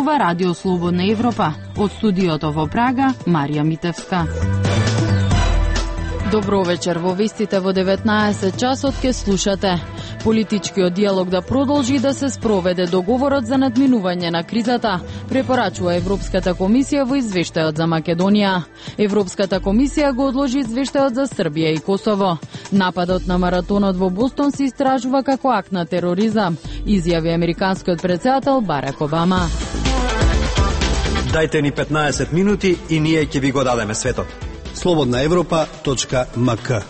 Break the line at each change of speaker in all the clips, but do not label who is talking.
зборува Радио Слободна Европа. Од студиото во Прага, Марија Митевска. Добро вечер, во вестите во 19 часот ке слушате. Политичкиот диалог да продолжи и да се спроведе договорот за надминување на кризата, препорачува Европската комисија во извештајот за Македонија. Европската комисија го одложи извештајот за Србија и Косово. Нападот на маратонот во Бостон се истражува како акт на тероризам, изјави американскиот претседател Барак Обама.
Дајте ни 15 минути и ние ќе ви го дадеме светот.
slobodnaevropa.mk.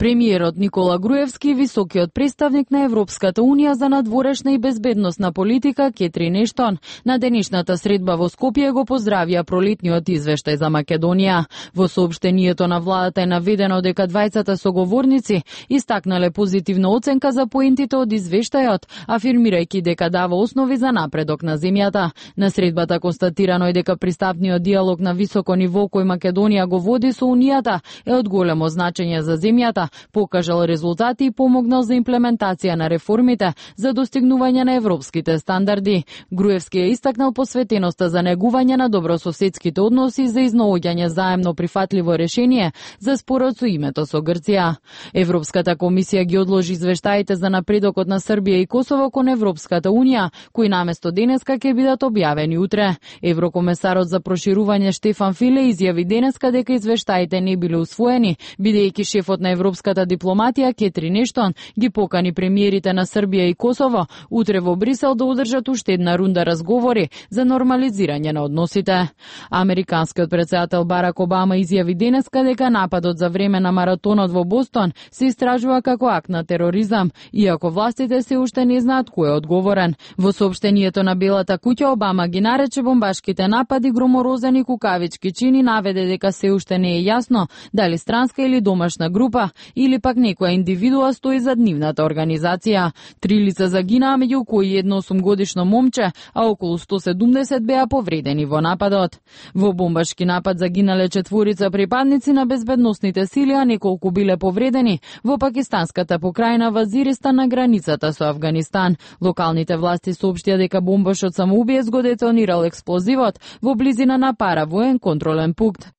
Премиерот Никола Груевски, високиот представник на Европската Унија за надворешна и безбедносна политика Кетрин Ештон, на денешната средба во Скопје го поздравија пролетниот извештај за Македонија. Во соопштението на владата е наведено дека двајцата соговорници истакнале позитивна оценка за поентите од извештајот, афирмирајќи дека дава основи за напредок на земјата. На средбата констатирано е дека пристапниот диалог на високо ниво кој Македонија го води со Унијата е од големо значење за земјата, покажал резултати и помогнал за имплементација на реформите за достигнување на европските стандарди. Груевски е истакнал посветеноста за негување на добрососедските односи за изнаоѓање заемно прифатливо решение за спорот со името со Грција. Европската комисија ги одложи извештаите за напредокот на Србија и Косово кон Европската Унија, кои наместо денеска ќе бидат објавени утре. Еврокомесарот за проширување Штефан Филе изјави денеска дека извештаите не биле усвоени, бидејќи шефот на Европската дипломатија Кетрин Ештон ги покани премиерите на Србија и Косово утре во Брисел да одржат уште една рунда разговори за нормализирање на односите. Американскиот претседател Барак Обама изјави денеска дека нападот за време на маратонот во Бостон се истражува како акт на тероризам, иако властите се уште не знаат кој е одговорен. Во соопштението на Белата куќа Обама ги нарече бомбашките напади громорозени кукавички чини, наведе дека се уште не е јасно дали странска или домашна група или пак некоја индивидуа стои за нивната организација. 3 лица загинаа, меѓу кои едно 8-годишно момче, а околу 170 беа повредени во нападот. Во бомбашки напад загинале 4 припадници на безбедносните сили, а неколку биле повредени во пакистанската покрајна Вазиристан на границата со Авганистан. Локалните власти соопштија дека бомбашот самоубиец го детонирал експлозивот во близина на паравоен контролен пункт.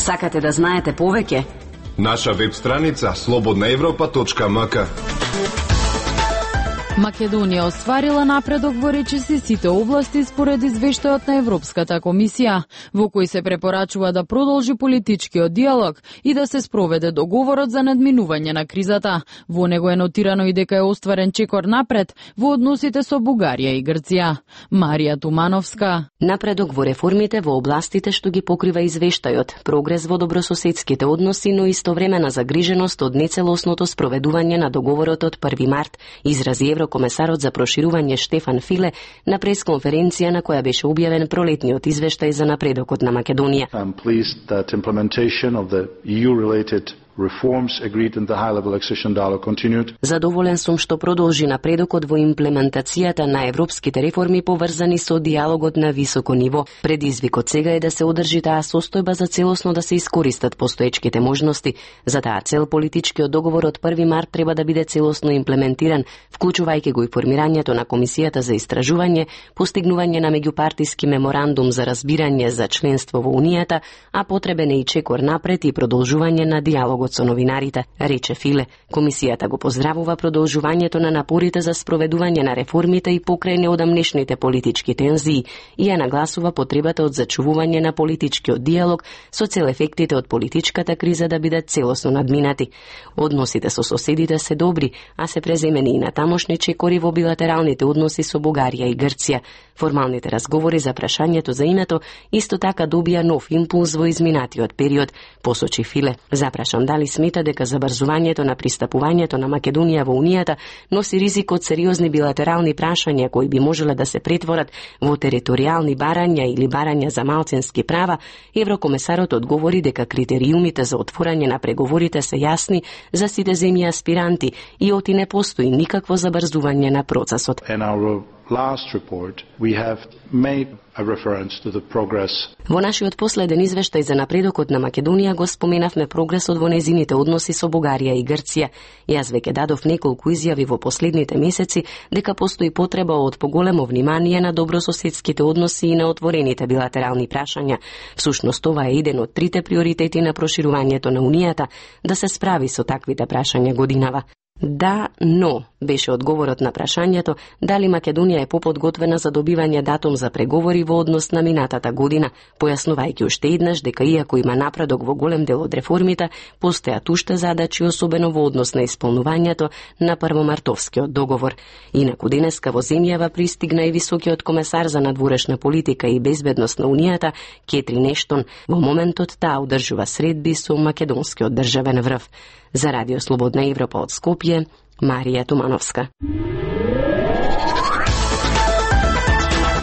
Сакате да знаете повеќе?
Наша веб страница slobodnaevropa.mk.
Македонија остварила напредок во речиси сите области според извештајот на Европската комисија, во кој се препорачува да продолжи политичкиот диалог и да се спроведе договорот за надминување на кризата. Во него е нотирано и дека е остварен чекор напред во односите со Бугарија и Грција. Марија Тумановска.
Напредок во реформите во областите што ги покрива извештајот, прогрес во добрососедските односи, но истовремена загриженост од нецелосното спроведување на договорот од 1 март, изрази Еврокомесарот за проширување Штефан Филе на пресконференција на која беше објавен пролетниот извештај за напредокот на Македонија.
I'm pleased that implementation of the EU-related reforms agreed in the high-level accession dialogue continued.
Задоволен сум што продолжи напредокот во имплементацијата на европските реформи поврзани со диалогот на високо ниво. Предизвикот сега е да се одржи таа состојба за целосно да се искористат постоечките можности. За таа цел политичкиот договор од 1 март треба да биде целосно имплементиран, вклучувајќи го и формирањето на Комисијата за истражување, постигнување на меѓупартиски меморандум за разбирање за членство во Унијата, а потребен е и чекор напред и продолжување на диалогот со новинарите, рече Филе. Комисијата го поздравува продолжувањето на напорите за спроведување на реформите и покрај неодамнешните политички тензии и ја нагласува потребата од зачувување на политичкиот диалог со цел ефектите од политичката криза да бидат целосно надминати. Односите со соседите се добри, а се преземени и на тамошни чекори во билатералните односи со Бугарија и Грција. Формалните разговори за прашањето за името исто така добија нов импулс во изминатиот период, посочи Филе. Запрашан дали смета дека забрзувањето на пристапувањето на Македонија во Унијата носи ризик од сериозни билатерални прашања кои би можеле да се претворат во територијални барања или барања за малцински права. Еврокомесарот одговори дека критериумите за отворање на преговорите се јасни за сите земји аспиранти и оти не постои никакво забрзување на процесот.
And our last report, we have made a reference to the progress.
Во нашиот последен извештај за напредокот на Македонија го споменавме прогресот во незините односи со Бугарија и Грција. Јас веќе дадов неколку изјави во последните месеци дека постои потреба од поголемо внимание на добрососедските односи и на отворените билатерални прашања. Всушност ова е еден од трите приоритети на проширувањето на Унијата, да се справи со таквите прашања годинава. Да, но, беше одговорот на прашањето дали Македонија е поподготвена за добивање датум за преговори во однос на минатата година, појаснувајќи уште еднаш дека иако има напредок во голем дел од реформите, постојат уште задачи, особено во однос на исполнувањето на првомартовскиот договор. Инаку денеска во земјава пристигна и високиот комесар за надворешна политика и безбедност на Унијата, Кетрин Ештон. Во моментот таа одржува средби со македонскиот државен врв. За Радио Слободна Европа од Скопје, Марија Тумановска.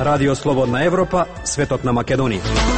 Радио Слободна Европа, светот на Македонија.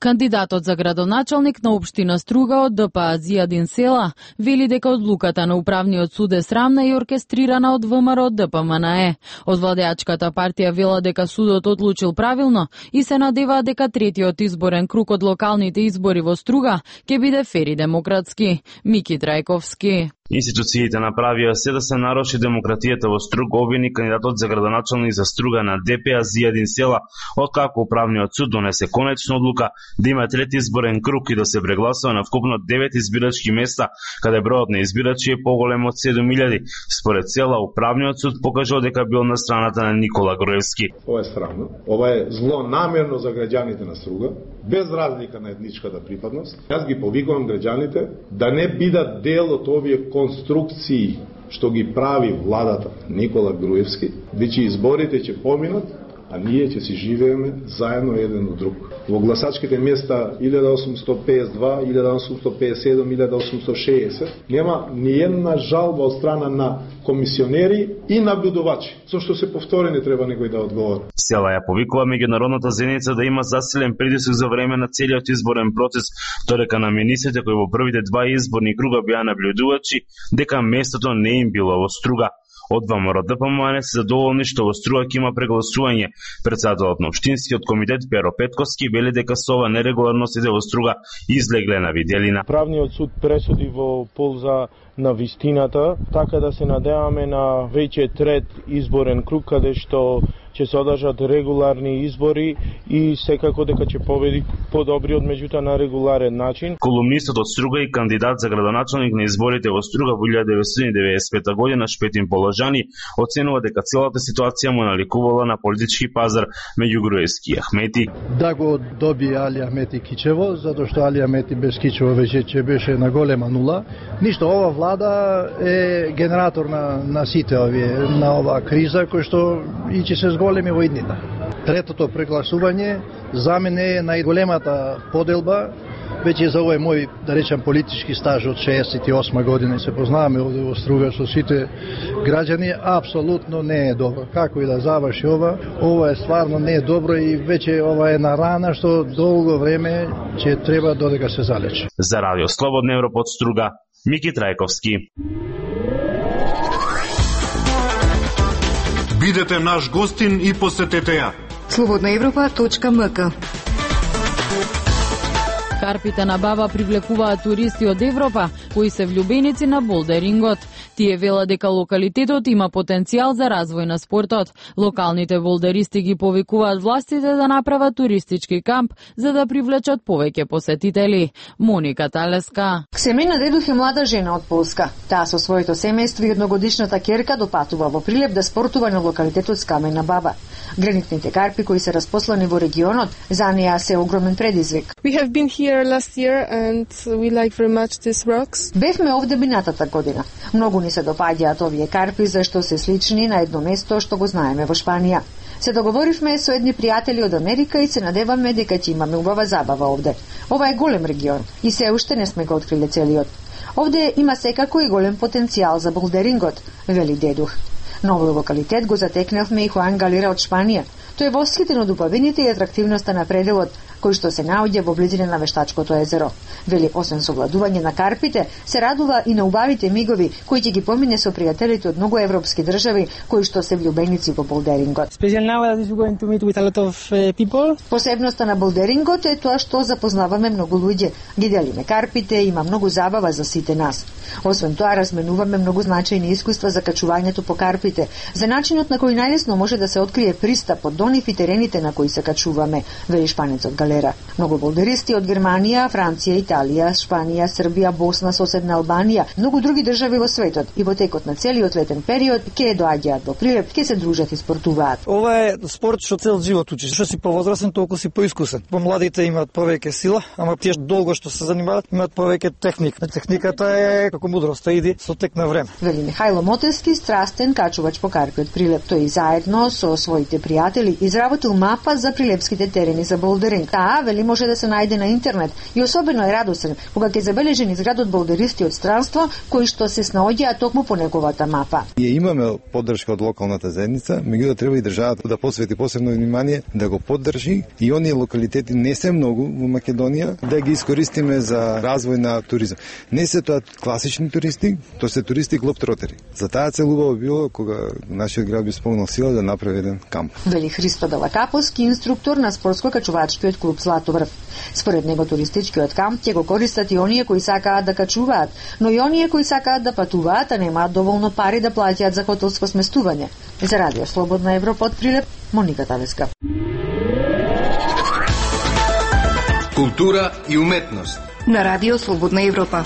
Кандидатот за градоначалник на општина Струга од ДПА Зијадин Села вели дека одлуката на управниот суд е срамна и оркестрирана од ВМРО ДПМНЕ. Од владеачката партија вела дека судот одлучил правилно и се надеваат дека третиот изборен круг од локалните избори во Струга ќе биде фер и демократски. Мики Трајковски.
Институциите направија се да се наруши демократијата во Струга, обвини кандидатот за градоначалник за Струга на ДПА Зијадин Села, откако управниот суд донесе конечна одлука да има трети изборен круг и да се прегласува на вкупно 9 избирачки места, каде бројот на избирачи е поголем од 7000. Според Села, управниот суд покажал дека бил на страната на Никола Груевски.
Ова е срамно, ова е злонамерно за граѓаните на Струга, без разлика на етничката припадност. Јас ги повикувам граѓаните да не бидат дел од овие конструкции што ги прави владата Никола Груевски, веќе изборите ќе поминат, а ние ќе си живееме заедно еден од друг. Во гласачките места 1852, 1857, 1860 нема ни една жалба од страна на комисионери и наблюдувачи. Зошто се повторени треба некој да одговори.
Села ја повикува меѓународната заедница да има засилен притисок за време на целиот изборен процес, додека на министрите кои во првите два изборни круга беа наблюдувачи дека местото не им било во Струга. Од ВМРО ДПМНЕ се задоволни што во Струга ќе има прегласување. Председателот на општинскиот комитет Перо Петковски вели дека со ова нерегуларностите во Струга излегле на виделина.
Правниот суд пресуди во полза на вистината, така да се надеваме на веќе трет изборен круг каде што ќе се одржат регуларни избори и секако дека ќе победи подобриот меѓутоа на регуларен начин.
Колумнистот од Струга и кандидат за градоначалник на изборите во Струга во 1995 година Шпетин Положани оценува дека целата ситуација му наликувала на политички пазар меѓу Груевски и Ахмети.
Да го доби Али Ахмети Кичево, затоа што Али Ахмети без Кичево веќе ќе беше на голема нула. Ништо, ова влада е генератор на сите овие, на оваа криза кој што и ќе се големи во иднина. Третото прегласување за мене е најголемата поделба, веќе за овој мој, да речам, политички стаж од 68 година и се познаваме овде во Струга со сите граѓани, апсолутно не е добро. Како и да заврши ова е стварно не е добро и веќе ова е на рана што долго време ќе треба додека се залечи.
За Радио Слободна Европа од Струга, Мики Трајковски.
Бидете наш гостин и посетете ја. slobodnaevropa.mk.
Карпите на Баба привлекуваат туристи од Европа кои се влюбеници на болдерингот. Тие вела дека локалитетот има потенцијал за развој на спортот. Локалните болдеристи ги повикуваат властите да направат туристички камп за да привлечат повеќе посетители. Моника Талеска.
Семејна Дедух е млада жена од Полска. Таа со своето семејство и едногодишната ќерка допатува во Прилеп да спортува на локалитетот Скамена Баба. Гранитните карпи кои се распослани во регионот за неа се огромен предизвик. Бевме овде минатата година. Многу ни се допаѓаат овие карпи зашто се слични на едно место што го знаеме во Шпанија. Се договоривме со едни пријатели од Америка и се надеваме дека ќе имаме убава забава овде. Ова е голем регион и се уште не сме го откриле целиот. Овде има секако и голем потенцијал за болдерингот, вели Дедух. Новиот локалитет го затекнавме и Хуан Галера од Шпанија. Тој е восхитен од убавините и атрактивноста на пределот, кој што се наоѓа во близина на Вештачкото езеро. Вели, освен совладување на карпите, се радува и на убавите мигови кои ќе ги помине со пријателите од многу европски држави кои што се влюбеници во болдерингот. Посебноста на болдерингот е тоа што запознаваме многу луѓе. Ги делиме карпите, има многу забава за сите нас. Освен тоа, разменуваме многу значајни искуства за качувањето по карпите, за начинот на кој најлесно може да се открие пристапот до нив и терените на кои се качуваме, вели шпанецот Галера. Многу болдеристи од Германија, Франција, Италија, Шпанија, Србија, Босна, соседна Албанија, многу други држави во светот и во текот на целиот летен период ќе доаѓаат во Прилеп, ќе се дружат и спортуваат.
Ова е спорт што цел живот учиш. Што си повозрасен, толку си поискусен. Помладите имаат повеќе сила, ама тие долго што се занимаваат имаат повеќе техника. Техниката е како мудроста, иди со тек на време.
Вели Михајло Мотевски, страстен качувач по карпи од Прилеп. Тој заедно со своите пријатели изработил мапа за прилепските терени за болдеринг. Таа, вели, може да се најде на интернет и особено е радосен кога ќе забележи низ градот болдеристи од странство кои што се снаоѓаат токму по неговата мапа.
Ние имаме поддршка од локалната заедница, меѓутоа треба и државата да посвети посебно внимание да го поддржи и оние локалитети не се многу во Македонија да ги искористиме за развој на туризам. Не се тоа класични туристи, тоа се туристи глобтротери. За таа цел убаво било кога нашиот град би спомнал сила да направи еден камп.
Вели Христо Далакаповски, инструктор на спортско-качувачкиот клуб Златобрв. Според него туристичкиот камп ќе го користат и оние кои сакаат да качуваат, но и оние кои сакаат да патуваат, а немаат доволно пари да плаќаат за хотелско сместување. За Радио Слободна Европа од Прилеп, Моника Тавеска.
Култура и уметност
на Радио Слободна Европа.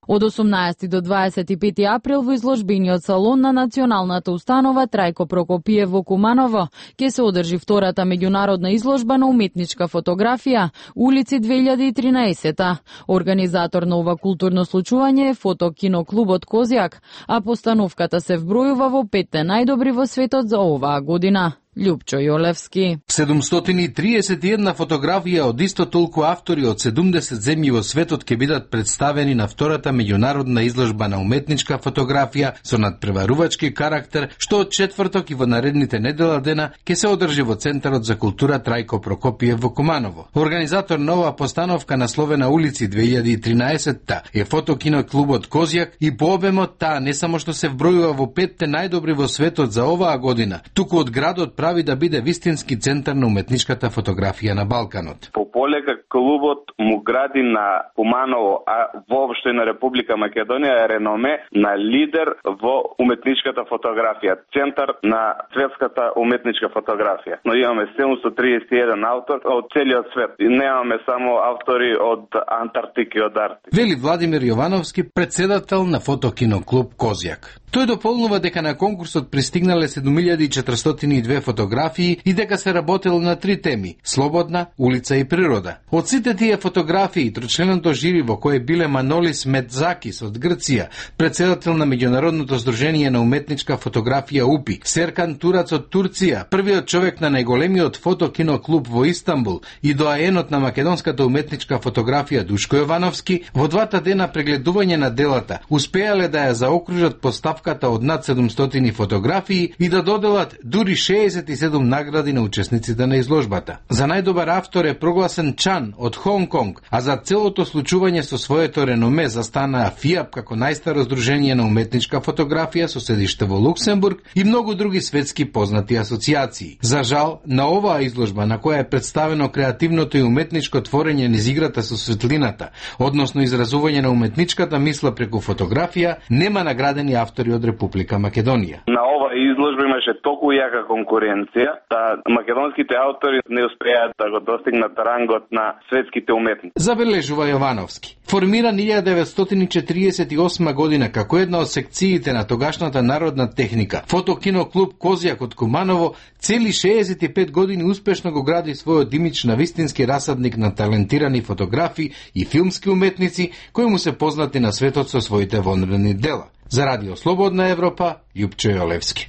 Од 18 до 25 април во изложбениот салон на Националната установа Трајко Прокопиев во Куманово ќе се одржи втората меѓународна изложба на уметничка фотографија Улици 2013. Организатор на ова културно случување е фотокиноклубот Козјак, а постановката се вбројува во 5 најдобри во светот за оваа година. Љупчо Јолевски.
731 фотографија од исто толку автори од 70 земји во светот ќе бидат представени на втората меѓународна изложба на уметничка фотографија со надпреварувачки карактер, што од четврток и во наредните недела дена ќе се одржи во Центарот за култура Трајко Прокопиев во Куманово. Организатор на оваа постановка насловена Улици 2013 е фотокиноклубот Козјак и по обемот таа не само што се вбројува во 5 најдобри во светот за оваа година, туку од градот прави да биде вистински центар на уметничката фотографија на Балканот.
По полека клубот му гради на Куманово, а воопшто и на Република Македонија е реноме на лидер во уметничката фотографија, центар на светската уметничка фотографија. Но имаме 731 автор од целиот свет и немаме само автори од Антарктика и од Арктика.
Вели Владимир Јовановски, председател на фотокиноклуб Козјак. Тој дополнува дека на конкурсот пристигнале 7402 фотографии и дека се работело на 3 теми – слободна, улица и природа. Од сите тие фотографии, трочленото жири во кое биле Манолис Медзакис од Грција, председател на Меѓународното здружение на уметничка фотографија УПИ, Серкан Турац од Турција, првиот човек на најголемиот фотокиноклуб во Истанбул и доаенот на македонската уметничка фотографија Душко Јовановски, во двата дена прегледување на делата, успеале да ја заокружат поставката од над 700 фотографии и да доделат дури 67 награди на учесниците на изложбата. За најдобар автор е прогласен Чан од Хонг Конг, а за целото случување со своето реноме застана ФИАП како најстаро здружение на уметничка фотографија со седиште во Луксембург и многу други светски познати асоциации. За жал, на оваа изложба на која е представено креативното и уметничко творење низ играта со светлината, односно изразување на уметничката мисла преку фотографија, нема наградени автори од Република Македонија.
На оваа изложба имаше толку јака конкуренција да македонските автори не успеаат да го достигнат рангот на светските уметници.
Забележува Јовановски. Формиран 1948 година како една од секциите на тогашната народна техника, фотокиноклуб Козјак од Куманово цели 65 години успешно го гради својот имидж на вистински расадник на талентирани фотографи и филмски уметници кои му се познати на светот со своите вонредни дела. За Радио Слободна Европа, Љупчо Јолевски.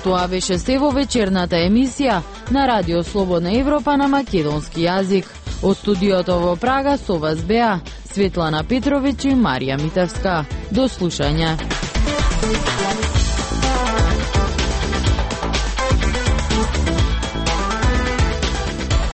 Тоа беше се во вечерната емисија на Радио Слободна Европа на македонски јазик. Од студиото во Прага со вас беа Светлана Петровиќ и Марија Митевска. До слушање.